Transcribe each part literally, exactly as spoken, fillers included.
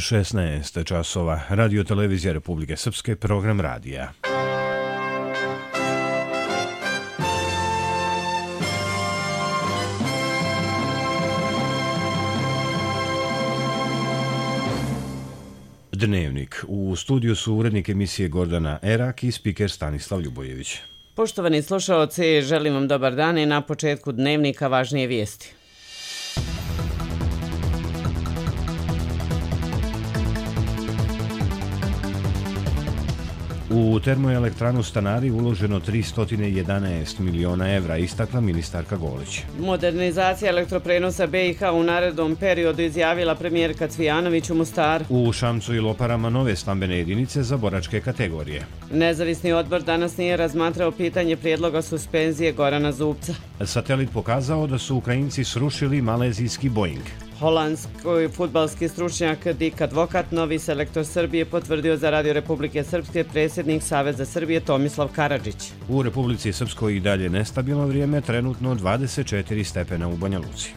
šesnaest časova. Radio televizija Republike Srpske, program radija. Dnevnik. U studiju su urednik emisije Gordana Erak i spiker Stanislav Ljubojević. Poštovani slušaoci, želim vam dobar dan i na početku dnevnika važnije vijesti. U termoelektranu Stanari uloženo tristo jedanaest miliona evra, istakla ministarka Golić. Modernizacija elektroprenosa B i H u narednom periodu, izjavila premijerka Cvijanović u Mostaru. U Šamcu i Loparama nove stambene jedinice za boračke kategorije. Nezavisni odbor danas nije razmatrao pitanje prijedloga suspenzije Gorana Zubca. Satelit pokazao da su Ukrajinci srušili malezijski Boeing. Holandski fudbalski stručnjak Dik Advokat, novi selektor Srbije, potvrdio za Radio Republike Srpske predsjednik Saveza Srbije Tomislav Karadžić. U Republici Srpskoj i dalje nestabilno vrijeme, trenutno dvadeset četiri stepena u Banja Luci.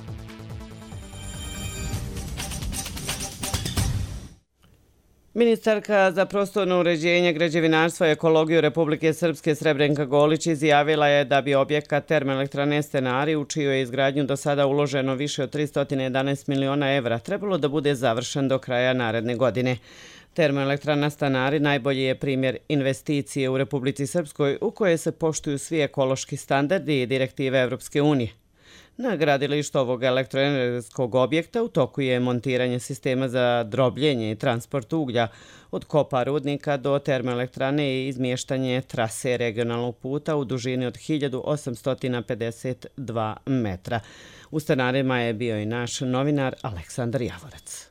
Ministarka za prostorno uređenje, građevinarstvo i ekologiju Republike Srpske Srebrenka Golić izjavila je da bi objekat termoelektrane Stanari, u čiju je izgradnju do sada uloženo više od tristo jedanaest miliona evra, trebalo da bude završen do kraja naredne godine. Termoelektrana Stanari najbolji je primjer investicije u Republici Srpskoj u kojoj se poštuju svi ekološki standardi i direktive Evropske unije. Na gradilištu ovog elektroenergetskog objekta u toku je montiranje sistema za drobljenje i transport uglja od kopa rudnika do termoelektrane i izmještanje trase regionalnog puta u dužini od hiljadu osamsto pedeset dva metra. U Stanarima je bio i naš novinar Aleksandar Javorac.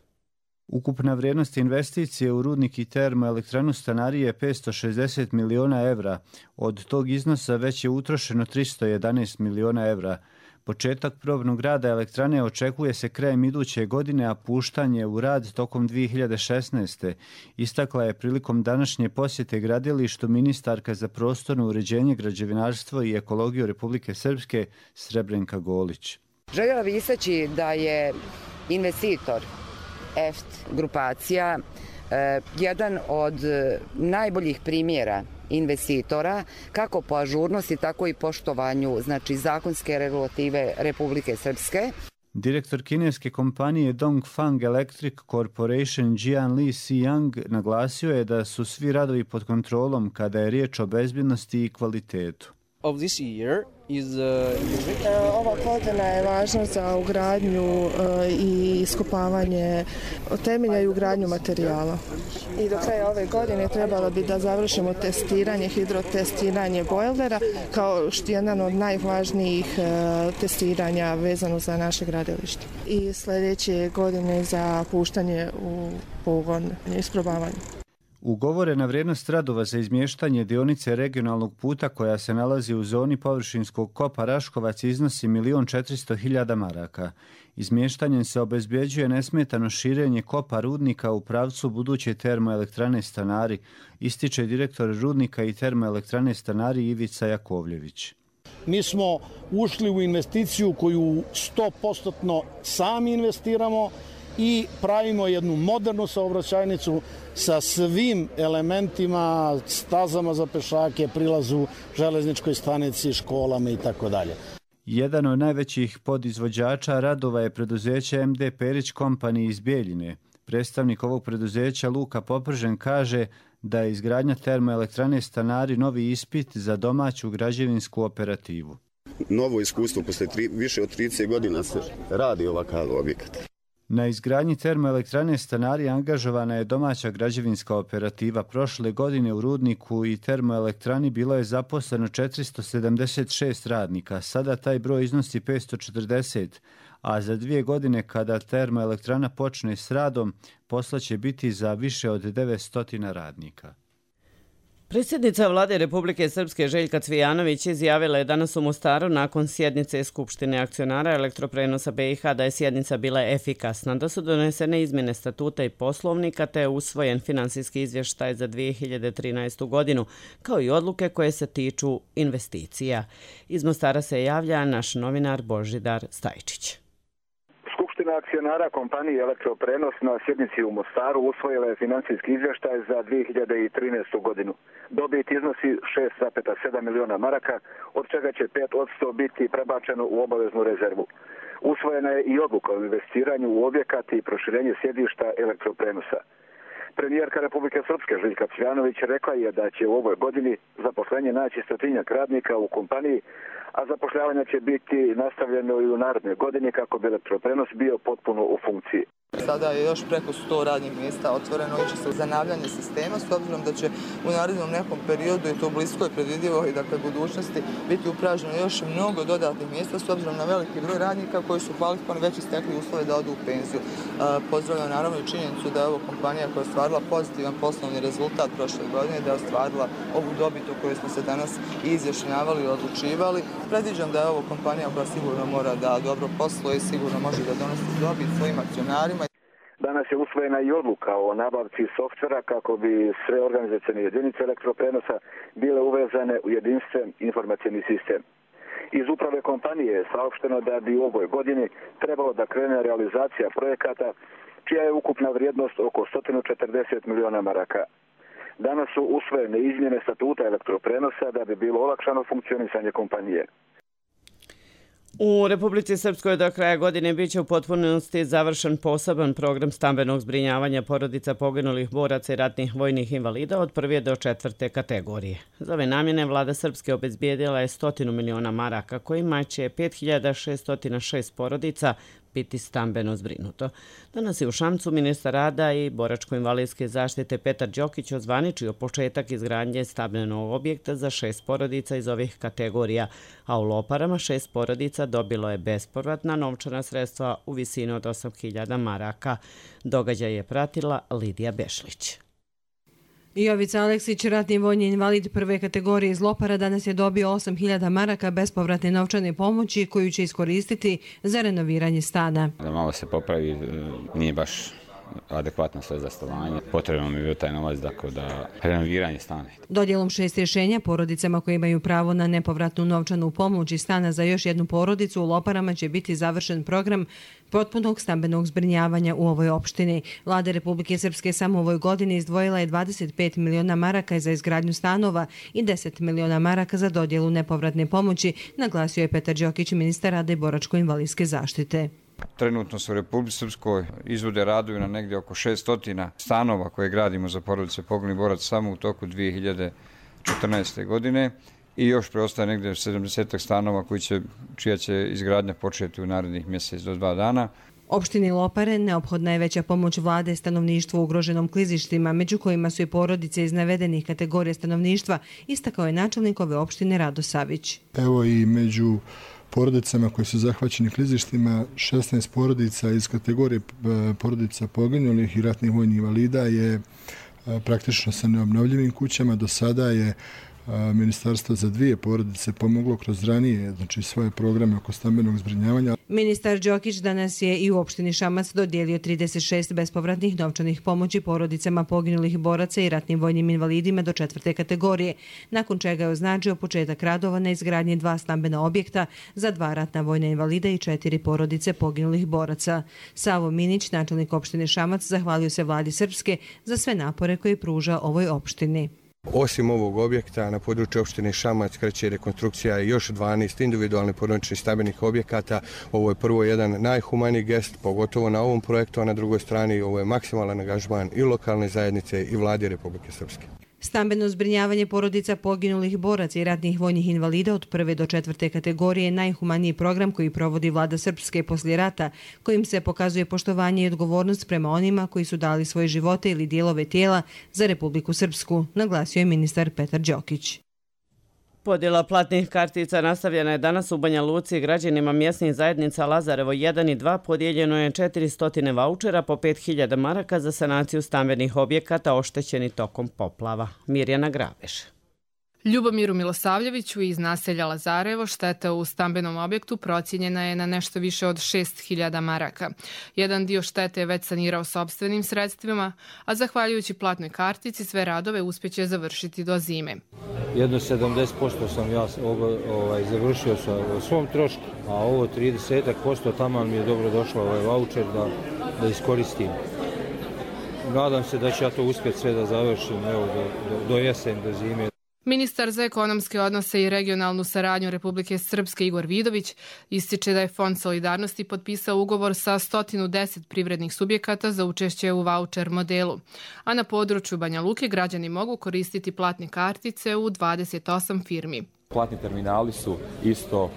Ukupna vrijednost investicije u rudnik i termoelektranu Stanari je petsto šezdeset miliona evra. Od tog iznosa već je utrošeno tristo jedanaest miliona evra. Početak probnog rada elektrane očekuje se krajem iduće godine, a puštanje u rad tokom dvije hiljade šesnaeste. Istakla je prilikom današnje posjete gradilištu ministarka za prostorno uređenje, građevinarstvo i ekologiju Republike Srpske Srebrenka Golić. Željela bih istaći da je investitor E F T grupacija eh, jedan od najboljih primjera investitora, kako po ažurnosti, tako i poštovanju, znači, zakonske regulative Republike Srpske. Direktor kineske kompanije Dongfang Electric Corporation Jian Li Xiyang naglasio je da su svi radovi pod kontrolom kada je riječ o bezbjednosti i kvalitetu. Of this year is, uh, Ova godina je važna za ugradnju uh, i iskopavanje temelja i ugradnju materijala. I do kraja ove godine trebalo bi da završimo testiranje, hidrotestiranje bojlera kao što je jedan od najvažnijih uh, testiranja vezano za naše gradilište. I sljedeće godine za puštanje u pogon i isprobavanje. Ugovorena vrijednost radova za izmještanje dionice regionalnog puta koja se nalazi u zoni površinskog kopa Raškovac iznosi milion četiristo hiljada maraka. Izmještanjem se obezbjeđuje nesmetano širenje kopa rudnika u pravcu buduće termoelektrane Stanari, ističe direktor rudnika i termoelektrane Stanari Ivica Jakovljević. Mi smo ušli u investiciju koju sto posto sami investiramo i pravimo jednu modernu saobraćajnicu sa svim elementima, stazama za pešake, prilazu železničkoj stanici, školama i tako dalje. Jedan od najvećih podizvođača radova je preduzeće M D Perić Company iz Bijeljine. Predstavnik ovog preduzeća Luka Popržen kaže da je izgradnja termoelektrane Stanari novi ispit za domaću građevinsku operativu. Novo iskustvo, posle tri, više od trideset godina se radi ovakav objekat. Na izgradnji termoelektrane Stanari angažovana je domaća građevinska operativa. Prošle godine u rudniku i termoelektrani bilo je zaposleno četiristo sedamdeset šest radnika. Sada taj broj iznosi petsto četrdeset, a za dvije godine kada termoelektrana počne s radom, posla će biti za više od devetsto radnika. Predsjednica Vlade Republike Srpske Željka Cvijanović izjavila je danas u Mostaru nakon sjednice Skupštine akcionara elektroprenosa B i H da je sjednica bila efikasna, da su donesene izmjene statuta i poslovnika te je usvojen finansijski izvještaj za dvije hiljade trinaestu godinu, kao i odluke koje se tiču investicija. Iz Mostara se javlja naš novinar Božidar Stajčić. Skupština Skupština akcionara kompanije Elektroprenos na sjednici u Mostaru usvojila je financijski izvještaj za dvije hiljade trinaestu godinu. Dobit iznosi šest zarez sedam miliona maraka, od čega će pet posto biti prebačeno u obaveznu rezervu. Usvojena je i odluka o investiranju u objekat i proširenje sjedišta Elektroprenosa. Premijerka Republike Srpske Željka Cvjanović rekla je da će u ovoj godini zaposlenje naći stotinjak radnika u kompaniji, a zapošljavanje će biti nastavljeno i u narednoj godini kako bi Elektroprenos bio potpuno u funkciji. Sada je još preko sto radnih mjesta otvoreno i će se zanavljanje sistema, s obzirom da će u narednom nekom periodu i to u bliskoj predvidivoj dakle, budućnosti biti upraženo još mnogo dodatnih mjesta s obzirom na veliki broj radnika koji su kvalifikovani već istekli uslove da odu u penziju. Pozdravljam naravno i činjenicu da je ovo kompanija koja je ostvarila pozitivan poslovni rezultat prošle godine, da je ostvarila ovu dobit o kojoj smo se danas i izjašnjavali i odlučivali. Predviđam da je ovo kompanija koja sigurno mora da dobro posluje i sigurno može da donosi dobit svojim akcionarima. Danas je usvojena i odluka o nabavci softvera kako bi sve organizacione jedinice Elektroprenosa bile uvezane u jedinstven informacijni sistem. Iz uprave kompanije je saopšteno da bi u ovoj godini trebalo da krene realizacija projekata čija je ukupna vrijednost oko sto četrdeset miliona maraka. Danas su usvojene izmjene statuta Elektroprenosa da bi bilo olakšano funkcionisanje kompanije. U Republici Srpskoj do kraja godine biće u potpunosti završen poseban program stambenog zbrinjavanja porodica poginulih boraca i ratnih vojnih invalida od prve do četvrte kategorije. Za ove namjene vlada Srpske obezbijedila je stotinu miliona maraka kojima će pet hiljada šeststo šest porodica biti stambeno zbrinuto. Danas je u Šamcu ministar rada i boračko-invalidske zaštite Petar Đokić ozvaničio početak izgradnje stambenog objekta za šest porodica iz ovih kategorija, a u Loparama šest porodica dobilo je bespovratna novčana sredstva u visini od osam hiljada maraka. Događaj je pratila Lidija Bešlić. Jovica Aleksić, ratni vojni invalid prve kategorije iz Lopara, danas je dobio osam hiljada maraka bespovratne novčane pomoći koju će iskoristiti za renoviranje stana. Da malo se popravi, nije baš adekvatno sve za stanovanje. Potrebno mi je bio taj novac dakle, da renoviranje stana. Dodjelom šest rješenja porodicama koje imaju pravo na nepovratnu novčanu pomoć i stana za još jednu porodicu u Loparama će biti završen program potpunog stambenog zbrinjavanja u ovoj opštini. Vlada Republike Srpske samo u ovoj godini izdvojila je dvadeset pet miliona maraka za izgradnju stanova i deset miliona maraka za dodjelu nepovratne pomoći, naglasio je Petar Đokić, ministar rada i boračko-invalidske zaštite. Trenutno se u Republici Srpskoj izvode radovi na negdje oko šesto stanova koje gradimo za porodice poginulih boraca samo u toku dvije hiljade četrnaeste. godine i još preostaje negdje sedamdeset stanova koji će, čija će izgradnja početi u narednih mjesec do dva dana. Opštini Lopare neophodna je veća pomoć vlade stanovništvu ugroženom klizištima, među kojima su i porodice iz navedenih kategorija stanovništva, istakao je načelnik ove opštine Rado Savić. Evo i među porodicama koji su zahvaćeni klizištima, šesnaest porodica iz kategorije porodica poginulih i ratnih vojnih invalida je praktično sa neobnovljivim kućama. Do sada je Ministarstvo za dvije porodice pomoglo kroz ranije, znači svoje programe oko stambenog zbrinjavanja. Ministar Đokić danas je i u opštini Šamac dodijelio trideset šest bespovratnih novčanih pomoći porodicama poginulih boraca i ratnim vojnim invalidima do četvrte kategorije, nakon čega je označio početak radova na izgradnji dva stambena objekta za dva ratna vojna invalida i četiri porodice poginulih boraca. Savo Minić, načelnik opštine Šamac, zahvalio se vladi Srpske za sve napore koje pruža ovoj opštini. Osim ovog objekta, na području opštine Šamac kreće rekonstrukcija još dvanaest individualnih porodičnih stambenih objekata. Ovo je prvo jedan najhumaniji gest, pogotovo na ovom projektu, a na drugoj strani ovo je maksimalan angažman i lokalne zajednice i vlade Republike Srpske. Stambeno zbrinjavanje porodica poginulih boraca i ratnih vojnih invalida od prve do četvrte kategorije je najhumaniji program koji provodi vlada Srpske poslije rata, kojim se pokazuje poštovanje i odgovornost prema onima koji su dali svoje živote ili dijelove tijela za Republiku Srpsku, naglasio je ministar Petar Đokić. Podjela platnih kartica nastavljena je danas u Banja Luci. Građanima mjesnih zajednica Lazarevo jedan i dva podijeljeno je četiristo vaučera po pet hiljada maraka za sanaciju stambenih objekata oštećeni tokom poplava. Mirjana Graveš. Ljubomiru Milosavljeviću iz naselja Lazarevo šteta u stambenom objektu procijenjena je na nešto više od šest hiljada maraka. Jedan dio štete je već sanirao sopstvenim sredstvima, a zahvaljujući platnoj kartici sve radove uspjeće završiti do zime. Jedno sedamdeset posto sam ja ovaj, završio sa svom trošku, a ovo trideset posto taman mi je dobro došlo ovaj vaučer da, da iskoristim. Nadam se da ću ja to uspjeti sve da završim evo, do, do, do jesen, do zime. Ministar za ekonomske odnose i regionalnu saradnju Republike Srpske Igor Vidović ističe da je Fond solidarnosti potpisao ugovor sa sto deset privrednih subjekata za učešće u vaučer modelu, a na području Banja Luke građani mogu koristiti platne kartice u dvadeset osam firmi. Platni terminali su isto uh,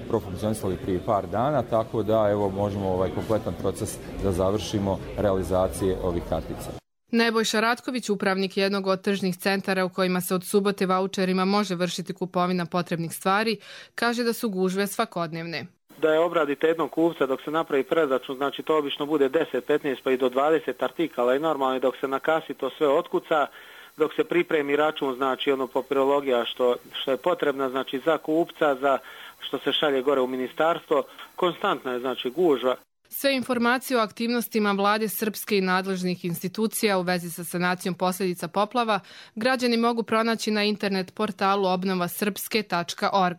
profunkcionisali prije par dana, tako da evo možemo ovaj kompletan proces da završimo realizacije ovih kartica. Nebojša Ratković, upravnik jednog od tržnih centara u kojima se od subote vaučerima može vršiti kupovina potrebnih stvari, kaže da su gužve svakodnevne. Da je obradite jednog kupca dok se napravi preračun, znači to obično bude deset, petnaest pa i do dvadeset artikala i normalno dok se na kasi to sve otkuca, dok se pripremi račun, znači ono papirologija što, što je potrebna, znači za kupca, za što se šalje gore u ministarstvo, konstantna je znači gužva. Sve informacije o aktivnostima vlade Srpske i nadležnih institucija u vezi sa sanacijom posljedica poplava građani mogu pronaći na internet portalu obnova srpske tačka org.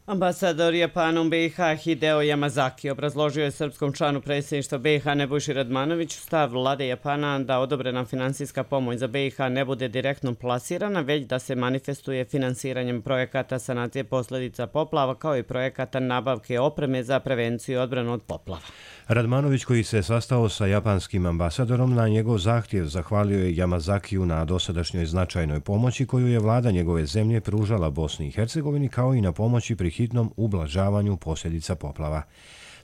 Ambasador Japana u B i H Hideo Yamazaki obrazložio je srpskom članu predsjedništva B i H Nebojši Radmanoviću stav vlade Japana da odobrena finansijska pomoć za B i H ne bude direktno plasirana, već da se manifestuje finansiranjem projekata sanacije posljedica poplava kao i projekata nabavke opreme za prevenciju i odbranu od poplava. Radmanović, koji se sastao sa japanskim ambasadorom, na njegov zahtjev zahvalio je Yamazakiju na dosadašnjoj značajnoj pomoći koju je vlada njegove zemlje pružala Bosni i Hercegovini, kao i na pomoći pri hitnom ublažavanju posljedica poplava.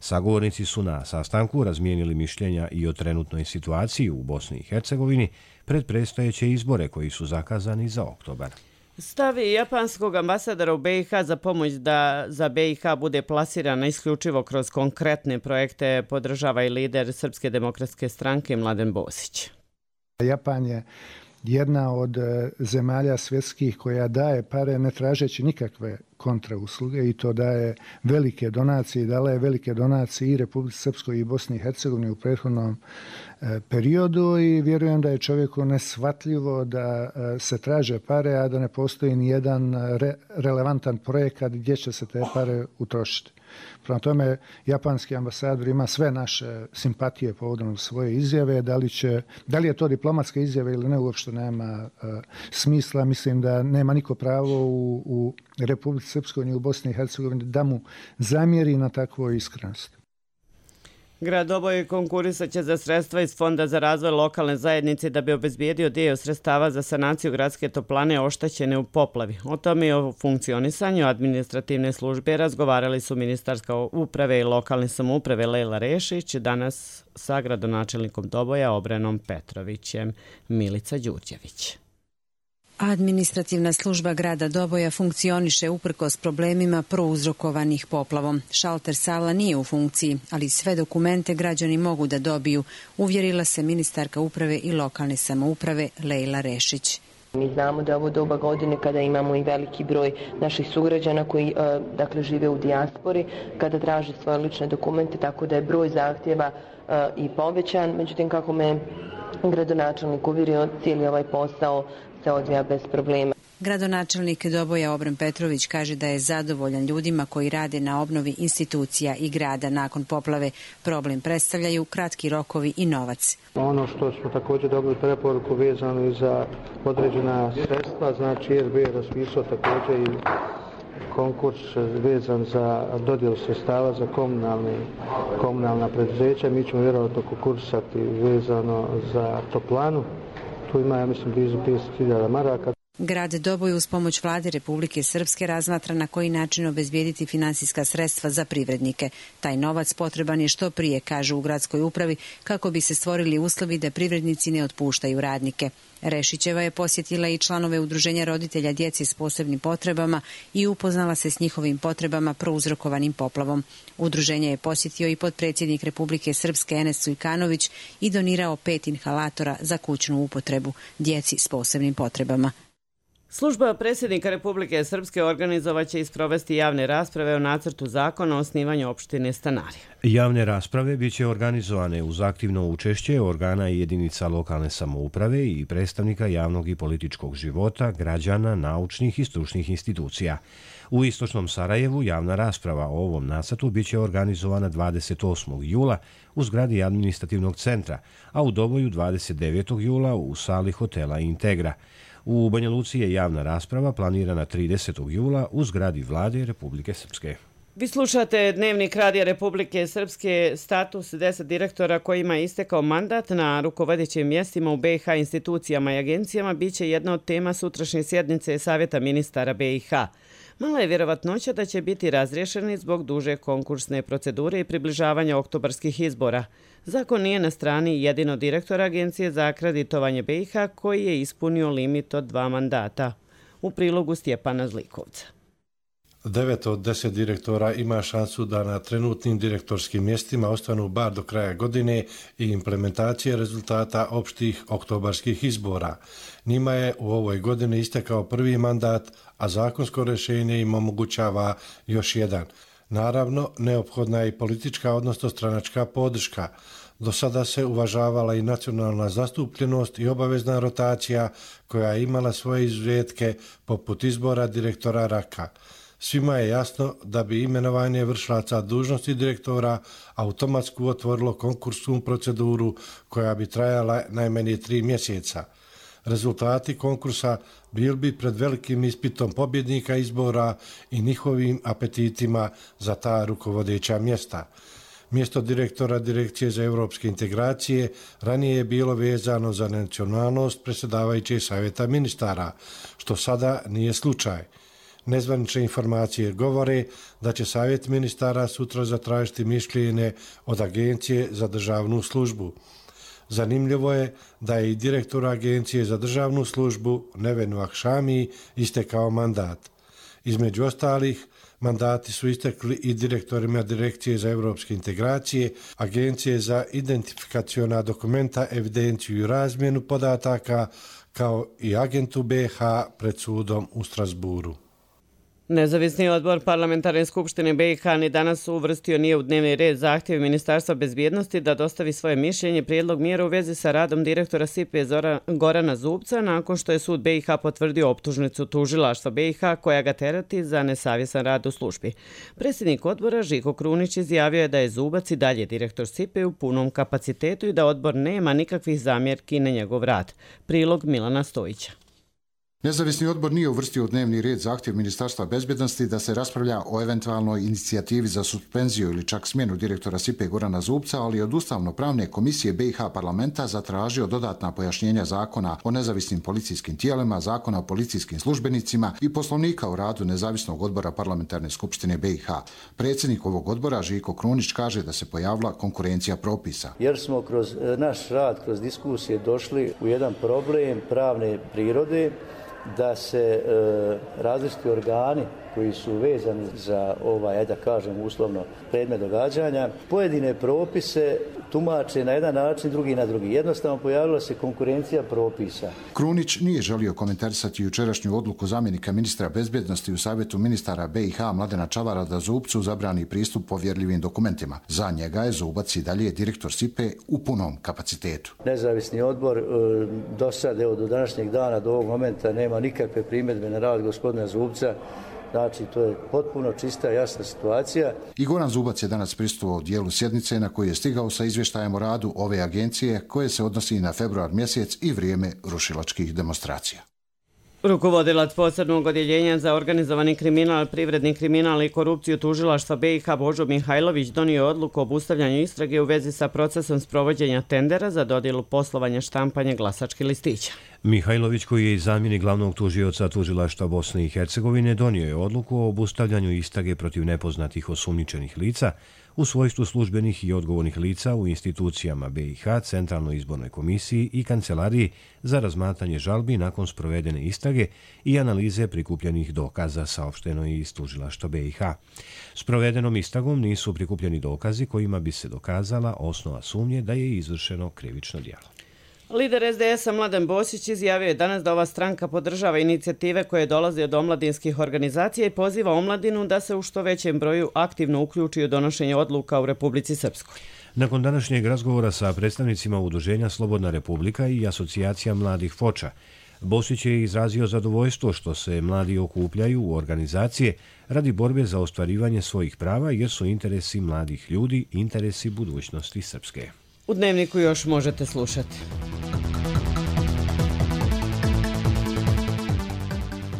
Sagovornici su na sastanku razmijenili mišljenja i o trenutnoj situaciji u Bosni i Hercegovini pred predstojeće izbore koji su zakazani za oktobar. Stav japanskog ambasadora u B i H za pomoć da za B i H bude plasirana isključivo kroz konkretne projekte podržava i lider Srpske demokratske stranke Mladen Bosić. Japan je jedna od zemalja svjetskih koja daje pare ne tražeći nikakve kontrausluge i to daje velike donacije i dala je velike donacije i Republici Srpskoj i Bosni i Hercegovini u prethodnom periodu i vjerujem da je čovjeku neshvatljivo da se traže pare, a da ne postoji ni jedan re, relevantan projekat gdje će se te pare utrošiti. Prema tome, japanski ambasador ima sve naše simpatije povodom svoje izjave. Da li, će, da li je to diplomatska izjava ili ne, uopšte nema uh, smisla. Mislim da nema niko pravo u, u Republici Srpskoj ni u Bosni i Hercegovini da mu zamjeri na takvoj iskrenosti. Grad Doboj konkurisat će za sredstva iz Fonda za razvoj lokalne zajednice da bi obezbijedio dio sredstava za sanaciju gradske toplane oštećene u poplavi. O tome i o funkcionisanju administrativne službe razgovarali su ministarska uprave i lokalne samouprave Lejla Rešić danas sa gradonačelnikom Doboja Obrenom Petrovićem. Milica Đurđević. Administrativna služba grada Doboja funkcioniše uprkos problemima prouzrokovanih poplavom. Šalter sala nije u funkciji, ali sve dokumente građani mogu da dobiju, uvjerila se ministarka uprave i lokalne samouprave Lejla Rešić. Mi znamo da je ovo doba godine kada imamo i veliki broj naših sugrađana koji dakle, žive u dijaspori, kada traže svoje lične dokumente, tako da je broj zahtjeva i povećan. Međutim, kako me gradonačelnik uvjerio, cijeli ovaj posao se odvija bez problema. Gradonačelnik Doboja Obren Petrović kaže da je zadovoljan ljudima koji rade na obnovi institucija i grada nakon poplave. Problem predstavljaju kratki rokovi i novac. Ono što smo također dobili preporuku vezano i za određena sredstva, znači R B je raspisao također i konkurs vezan za dodjelu sredstava za komunalne, komunalna preduzeća. Mi ćemo vjerojatno konkursati vezano za toplanu. Tu ima, ja mislim, blizu pedeset hiljada maraka. Grad Doboj uz pomoć vlade Republike Srpske razmatra na koji način obezbijediti finansijska sredstva za privrednike. Taj novac potreban je što prije, kažu u gradskoj upravi, kako bi se stvorili uslovi da privrednici ne otpuštaju radnike. Rešićeva je posjetila i članove udruženja roditelja djece s posebnim potrebama i upoznala se s njihovim potrebama prouzrokovanim poplavom. Udruženje je posjetio i potpredsjednik Republike Srpske Enes Cujkanović i donirao pet inhalatora za kućnu upotrebu djeci s posebnim potrebama. Služba predsjednika Republike Srpske organizovaće i sprovesti javne rasprave o nacrtu zakona o osnivanju opštine Stanari. Javne rasprave biće organizovane uz aktivno učešće organa i jedinica lokalne samouprave i predstavnika javnog i političkog života, građana, naučnih i stručnih institucija. U istočnom Sarajevu javna rasprava o ovom nacrtu biće organizovana dvadeset osmog jula u zgradi administrativnog centra, a u Doboju dvadeset devetog jula u sali hotela Integra. U Banja Luci je javna rasprava planirana tridesetog jula u zgradi Vlade Republike Srpske. Vi slušate Dnevnik Radija Republike Srpske. Status deset direktora kojima je istekao mandat na rukovodećim mjestima u B i H institucijama i agencijama biće jedna od tema sutrašnje sjednice Savjeta ministara B i H. Mala je vjerovatnoća da će biti razriješeni zbog duže konkursne procedure i približavanja oktobarskih izbora. Zakon nije na strani jedino direktora Agencije za akreditovanje B i H koji je ispunio limit od dva mandata. U prilogu Stjepana Zlikovca. Devet od deset direktora ima šansu da na trenutnim direktorskim mjestima ostanu bar do kraja godine i implementacije rezultata opštih oktobarskih izbora. Njima je u ovoj godini istekao prvi mandat, a zakonsko rješenje im omogućava još jedan. Naravno, neophodna je i politička, odnosno stranačka podrška. Do sada se uvažavala i nacionalna zastupljenost i obavezna rotacija koja je imala svoje izuzetke poput izbora direktora Raka. Svima je jasno da bi imenovanje vršilaca dužnosti direktora automatski otvorilo konkursnu proceduru koja bi trajala najmanje tri mjeseca. Rezultati konkursa bili bi pred velikim ispitom pobjednika izbora i njihovim apetitima za ta rukovodeća mjesta. Mjesto direktora Direkcije za evropske integracije ranije je bilo vezano za nacionalnost predsjedavajućeg savjeta ministara, što sada nije slučaj. Nezvanične informacije govore da će savjet ministara sutra zatražiti mišljenje od Agencije za državnu službu. Zanimljivo je da je i direktor Agencije za državnu službu Nevenu Akšami istekao mandat. Između ostalih, mandati su istekli i direktorima Direkcije za evropske integracije, Agencije za identifikaciona dokumenta, evidenciju i razmjenu podataka, kao i agentu B i H pred sudom u Strasburu. Nezavisni odbor Parlamentarne skupštine B i H ni danas uvrstio nije u dnevni red zahtjev Ministarstva bezbjednosti da dostavi svoje mišljenje prijedlog mjera u vezi sa radom direktora S I P E Gorana Zubca nakon što je sud B i H potvrdio optužnicu tužilaštva B i H koja ga terati za nesavjestan rad u službi. Predsjednik odbora Žiko Krunić izjavio je da je Zubac i dalje direktor S I P E u punom kapacitetu i da odbor nema nikakvih zamjerki na njegov rad. Prilog Milana Stojića. Nezavisni odbor nije uvrstio u dnevni red zahtjev Ministarstva bezbjednosti da se raspravlja o eventualnoj inicijativi za suspenziju ili čak smjenu direktora S I P E Gorana Zubca, ali od Ustavno-pravne komisije B i H parlamenta zatražio dodatna pojašnjenja zakona o nezavisnim policijskim tijelima, zakona o policijskim službenicima i poslovnika o radu nezavisnog odbora Parlamentarne skupštine B i H. Predsjednik ovog odbora Žiko Krunić kaže da se pojavila konkurencija propisa. Jer smo kroz naš rad, kroz diskusije došli u jedan problem pravne prirode da se e, različiti organi koji su vezani za ovaj, da kažem uslovno, predmet događanja, pojedine propise tumače na jedan način, drugi na drugi. Jednostavno pojavila se konkurencija propisa. Krunić nije želio komentarisati jučerašnju odluku zamjenika ministra bezbjednosti u savjetu ministara B i H Mladena Čavara da Zubcu zabrani pristup povjerljivim dokumentima. Za njega je Zubac i dalje direktor S I P E u punom kapacitetu. Nezavisni odbor do sad, evo, do današnjeg dana, do ovog momenta nema nikakve primjedbe na rad gospodina Zubca. Znači, to je potpuno čista, jasna situacija. I Goran Zubac je danas prisustvovao dijelu sjednice na koji je stigao sa izvještajem o radu ove agencije koje se odnosi na februar mjesec i vrijeme rušilačkih demonstracija. Rukovodilac posebnog odjeljenja za organizovani kriminal, privredni kriminal i korupciju tužilaštva B i H Božo Mihajlović donio odluku o obustavljanju istrage u vezi sa procesom sprovođenja tendera za dodjelu poslovanja štampanja glasačkih listića. Mihajlović, koji je i zamjenik glavnog tužioca tužilaštva Bosne i Hercegovine, donio je odluku o obustavljanju istrage protiv nepoznatih osumnjičenih lica u svojstvu službenih i odgovornih lica u institucijama B i H, Centralnoj izbornoj komisiji i Kancelariji za razmatranje žalbi nakon sprovedene istrage i analize prikupljenih dokaza, saopšteno je iz tužilaštva B i H. S provedenom istragom nisu prikupljeni dokazi kojima bi se dokazala osnova sumnje da je izvršeno krivično djelo. Lider es de es-a Mladen Bosić izjavio je danas da ova stranka podržava inicijative koje dolaze od omladinskih organizacija i poziva omladinu da se u što većem broju aktivno uključi u donošenje odluka u Republici Srpskoj. Nakon današnjeg razgovora sa predstavnicima Udruženja Slobodna Republika i Asocijacija mladih Foča, Bosić je izrazio zadovoljstvo što se mladi okupljaju u organizacije radi borbe za ostvarivanje svojih prava jer su interesi mladih ljudi interesi budućnosti Srpske. U Dnevniku još možete slušati.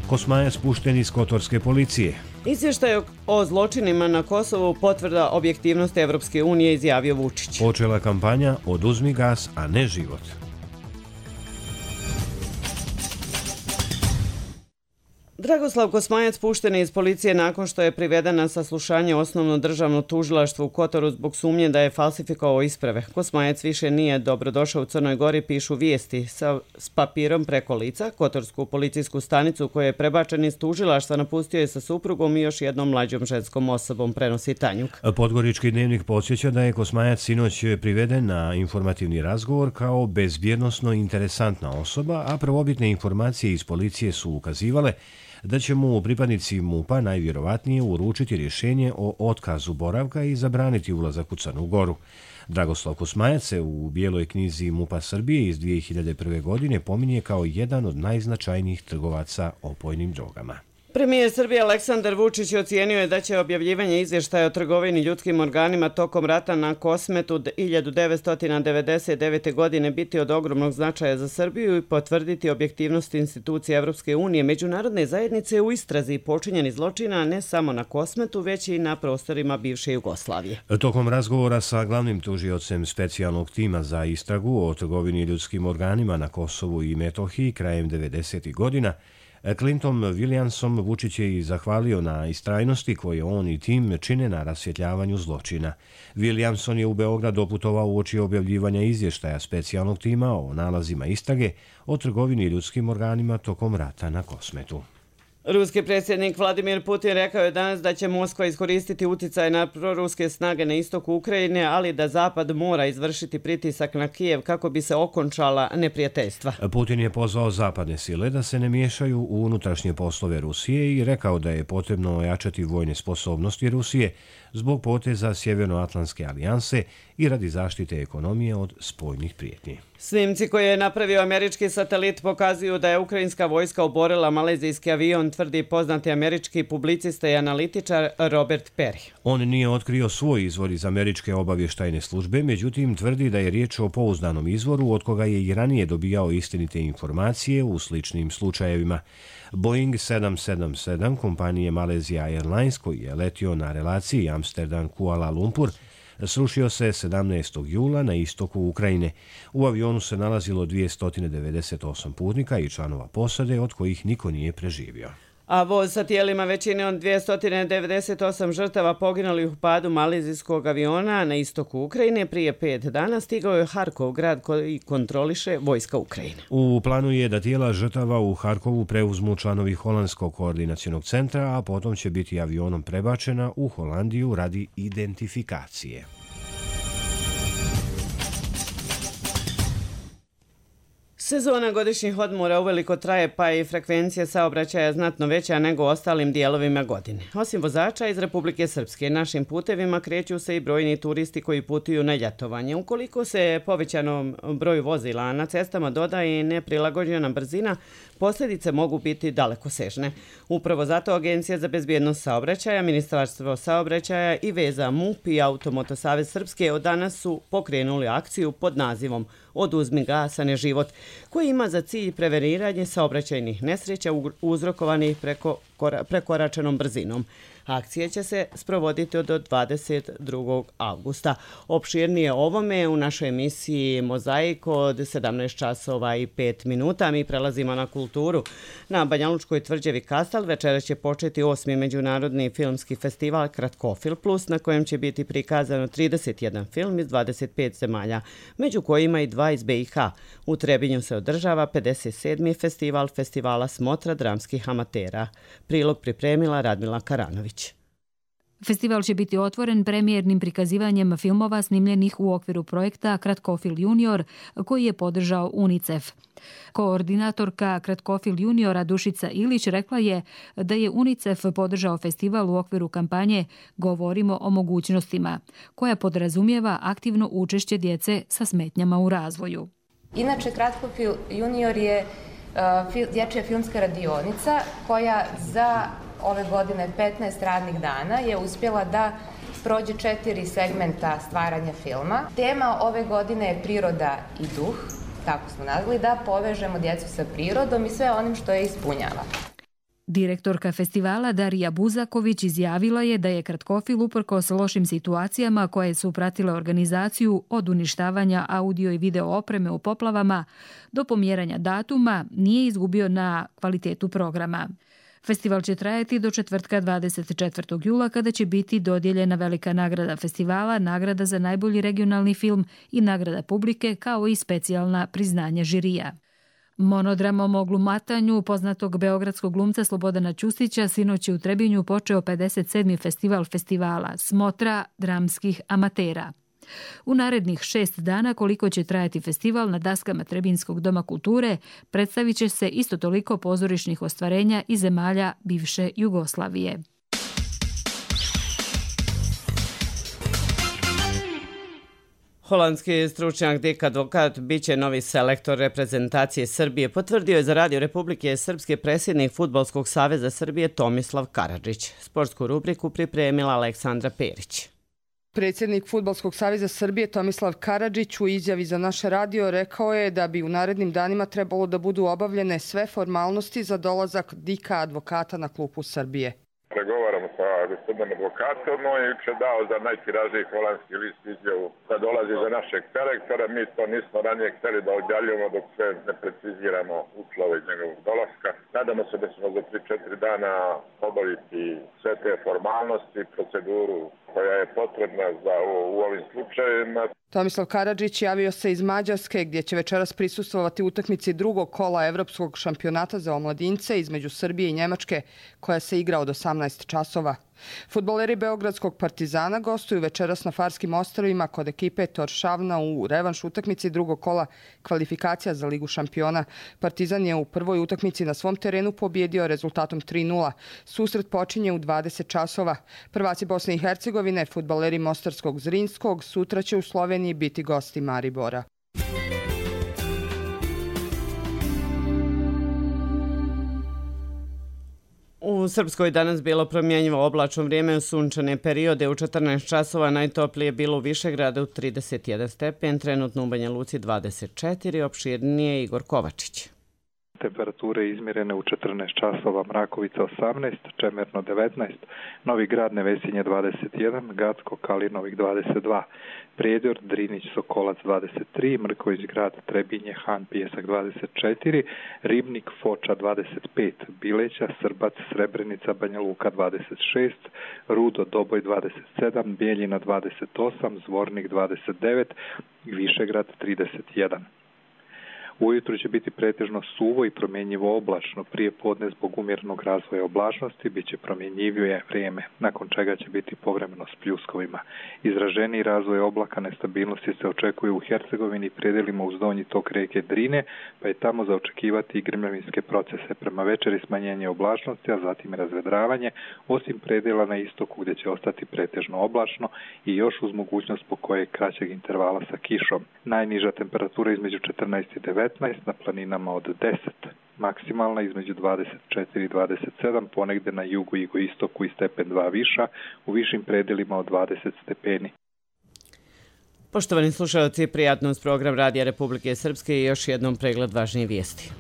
Kosmajac pušten iz kotorske policije. Izvještaj o zločinima na Kosovu potvrda objektivnosti Evropske unije, izjavio Vučić. Počela kampanja Oduzmi gas, a ne život. Dragoslav Kosmajac pušten je iz policije nakon što je priveden na saslušanje osnovno državno tužilaštvo u Kotoru zbog sumnje da je falsifikovao isprave. Kosmajac više nije dobrodošao u Crnoj Gori, pišu vijesti sa, s papirom preko lica. Kotorsku policijsku stanicu koja je prebačen iz tužilaštva napustio je sa suprugom i još jednom mlađom ženskom osobom, prenosi Tanjuk. Podgorički Dnevnik podsjeća da je Kosmajac sinoć priveden na informativni razgovor kao bezbjednosno interesantna osoba, a prvobitne informacije iz policije su ukazivale da će mu pripadnici MUP-a najvjerovatnije uručiti rješenje o otkazu boravka i zabraniti ulazak u Crnu Goru. Dragoslav Kosmajac se u Bijeloj knjizi MUP-a Srbije iz dvije hiljade prve. godine pominje kao jedan od najznačajnijih trgovaca opojnim drogama. Premijer Srbije Aleksandar Vučić ocijenio je da će objavljivanje izvještaja o trgovini ljudskim organima tokom rata na Kosmetu hiljadu devetsto devedeset devete. godine biti od ogromnog značaja za Srbiju i potvrditi objektivnost institucije Evropske unije, međunarodne zajednice u istrazi počinjenih zločina ne samo na Kosmetu, već i na prostorima bivše Jugoslavije. Tokom razgovora sa glavnim tužiocem specijalnog tima za istragu o trgovini ljudskim organima na Kosovu i Metohiji krajem devedesetih. godina, Clinton Williamsom, Vučić je i zahvalio na istrajnosti koje on i tim čine na rasvjetljavanju zločina. Williamson je u Beograd doputovao uoči objavljivanja izvještaja specijalnog tima o nalazima istrage o trgovini ljudskim organima tokom rata na Kosmetu. Ruski predsjednik Vladimir Putin rekao je danas da će Moskva iskoristiti uticaj na proruske snage na istoku Ukrajine, ali da Zapad mora izvršiti pritisak na Kijev kako bi se okončala neprijateljstva. Putin je pozvao zapadne sile da se ne miješaju u unutrašnje poslove Rusije i rekao da je potrebno ojačati vojne sposobnosti Rusije zbog poteza Sjevernoatlantske alijanse i radi zaštite ekonomije od spoljnih prijetnji. Snimci koje je napravio američki satelit pokazuju da je ukrajinska vojska oborila malezijski avion, tvrdi poznati američki publicista i analitičar Robert Perry. On nije otkrio svoj izvor iz američke obavještajne službe, međutim tvrdi da je riječ o pouzdanom izvoru od koga je i ranije dobijao istinite informacije u sličnim slučajevima. Boeing sedam sedam sedam kompanije Malaysia Airlines, koji je letio na relaciji Amsterdam-Kuala Lumpur, srušio se sedamnaestog jula na istoku Ukrajine. U avionu se nalazilo dvjesto devedeset osam putnika i članova posade, od kojih niko nije preživio. A voz sa tijelima većine od dvjesto devedeset osam žrtava poginulih u padu malezijskog aviona na istoku Ukrajine prije pet dana stigao je Harkov, grad koji kontroliše vojska Ukrajine. U planu je da tijela žrtava u Harkovu preuzmu članovi Holandskog koordinacionog centra, a potom će biti avionom prebačena u Holandiju radi identifikacije. Sezona godišnjih odmora uveliko traje, pa je i frekvencija saobraćaja znatno veća nego u ostalim dijelovima godine. Osim vozača iz Republike Srpske, našim putevima kreću se i brojni turisti koji putuju na ljetovanje. Ukoliko se povećanom broju vozila na cestama dodaje i neprilagođena brzina, posljedice mogu biti dalekosežne. Upravo zato Agencija za bezbjednost saobraćaja, Ministarstvo saobraćaja i veza MUP i Automoto Savez Srpske od danas su pokrenuli akciju pod nazivom Oduzmi gas, a ne život, koji ima za cilj preveniranje saobraćajnih nesreća uzrokovanih preko prekoračenom brzinom. Akcija će se sprovoditi do dvadeset drugog avgusta. Opširnije ovome u našoj emisiji Mozaik od sedamnaest časova i pet minuta. Mi prelazimo na kulturu. Na Banjalučkoj tvrđavi Kastal večera će početi osmi međunarodni filmski festival Kratkofil Plus, na kojem će biti prikazano trideset jedan film iz dvadeset pet zemalja, među kojima i dva iz be i ha. U Trebinju se održava pedeset sedmi festival festivala Smotra dramskih amatera. Prilog pripremila Radmila Karanović. Festival će biti otvoren premijernim prikazivanjem filmova snimljenih u okviru projekta Kratkofil Junior koji je podržao UNICEF. Koordinatorka Kratkofil Juniora Dušica Ilić rekla je da je UNICEF podržao festival u okviru kampanje Govorimo o mogućnostima, koja podrazumijeva aktivno učešće djece sa smetnjama u razvoju. Inače, Kratkofil Junior je uh, dječja filmska radionica koja za ove godine petnaest radnih dana je uspjela da prođe četiri segmenta stvaranja filma. Tema ove godine je priroda i duh, tako smo nazvali, da povežemo djecu sa prirodom i sve onim što je ispunjava. Direktorka festivala Darija Buzaković izjavila je da je Kratkofil uprkos lošim situacijama koje su pratile organizaciju od uništavanja audio i video opreme u poplavama do pomjeranja datuma nije izgubio na kvalitetu programa. Festival će trajati do četvrtka dvadeset četvrtog jula kada će biti dodijeljena velika nagrada festivala, nagrada za najbolji regionalni film i nagrada publike kao i specijalna priznanja žirija. Monodramom o glumatanju poznatog beogradskog glumca Slobodana Ćustića sinoć je u Trebinju počeo pedeset sedmi festival festivala Smotra dramskih amatera. U narednih šest dana koliko će trajati festival na daskama Trebinskog doma kulture predstavit će se isto toliko pozorišnih ostvarenja iz zemalja bivše Jugoslavije. Holandski stručnjak Dick Advokat biće novi selektor reprezentacije Srbije, potvrdio je za Radio Republike Srpske predsjednik Fudbalskog saveza Srbije Tomislav Karadžić. Sportsku rubriku pripremila Aleksandra Perić. Predsjednik Fudbalskog saveza Srbije Tomislav Karadžić u izjavi za naš radio rekao je da bi u narednim danima trebalo da budu obavljene sve formalnosti za dolazak Dicka Advokata na klupu Srbije. Pregovaramo sa gospodinom Advokatom, on je juče dao za najtiražniji holandski list izjavu da dolazi za našeg selektora. Mi to nismo ranije htjeli da odjaljujemo dok sve ne preciziramo uslove iz njegovog dolaska. Nadamo se da ćemo za tri četiri dana obaviti sve te formalnosti, proceduru koja je potrebna za u, u ovim slučajevima. Tomislav Karadžić javio se iz Mađarske gdje će večeras prisustvovati utakmici drugog kola Evropskog šampionata za omladince između Srbije i Njemačke koja se igra od osamnaest časova. Fudbaleri Beogradskog Partizana gostuju večeras na Farskim ostrvima kod ekipe Torshavna u revanš utakmici drugog kola kvalifikacija za Ligu šampiona. Partizan je u prvoj utakmici na svom terenu pobjedio rezultatom tri nula. Susret počinje u dvadeset časova. Prvaci Bosne i Hercegovine, fudbaleri Mostarskog Zrinskog, sutra će u Sloveniji biti gosti Maribora. U Srpskoj danas bilo promjenjivo oblačno vrijeme u sunčane periode. U četrnaest časova najtoplije bilo u Višegradu trideset jedan stepen, trenutno u Banja Luci dvadeset četiri, opširnije Igor Kovačić. Temperature izmjerene u četrnaest časova, Mrakovica osamnaest, Čemerno devetnaest, Novi Grad Nevesinje dvadeset jedan, Gacko Kalinovik dvadeset dva, Prijedor, Drinić, Sokolac dvadeset tri, Mrković Grad, Trebinje, Han, Pijesak dvadeset četiri, Ribnik, Foča dvadeset pet, Bileća, Srbac, Srebrenica, Banja Luka dvadeset šest, Rudo, Doboj dvadeset sedam, Bijeljina dvadeset osam, Zvornik dvadeset devet, Višegrad trideset jedan. Ujutro će biti pretežno suvo i promjenjivo oblačno, prije podne zbog umjerenog razvoja oblačnosti bit će promjenjivije vrijeme, nakon čega će biti povremeno s pljuskovima. Izraženiji razvoj oblaka nestabilnosti se očekuje u Hercegovini i predjelima uz donji tok rijeke Drine, pa je tamo za očekivati i grmljavinske procese. Prema večeri smanjenje oblačnosti, a zatim razvedravanje, osim predjela na istoku gdje će ostati pretežno oblačno i još uz mogućnost po kojeg kraćeg intervala sa kišom. Najniža temperatura između četrnaest i devetnaest, na planinama od deset, maksimalna između dvadeset četiri i dvadeset sedam, ponegdje na jugu i jugoistoku i stepen dva viša, u višim predjelima od dvadeset stepeni. Poštovani slušalci, prijatno uz program Radija Republike Srpske i još jednom pregled važnijih vijesti.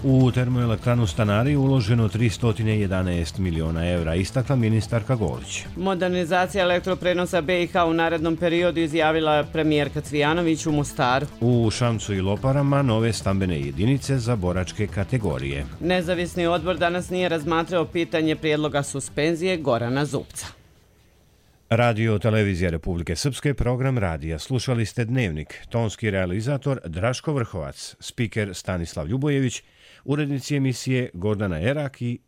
U termoelektranu Stanari uloženo tristo jedanaest miliona evra, istakla ministarka Golić. Modernizacija elektroprenosa B i H u narednom periodu izjavila premijerka Cvijanović u Mostaru. U Šamcu i Loparama nove stambene jedinice za boračke kategorije. Nezavisni odbor danas nije razmatrao pitanje prijedloga suspenzije Gorana Zupca. Radio Televizija Republike Srpske, program radija. Slušali ste Dnevnik, tonski realizator Draško Vrhovac, spiker Stanislav Ljubojević, urednici emisije Gordana Erak i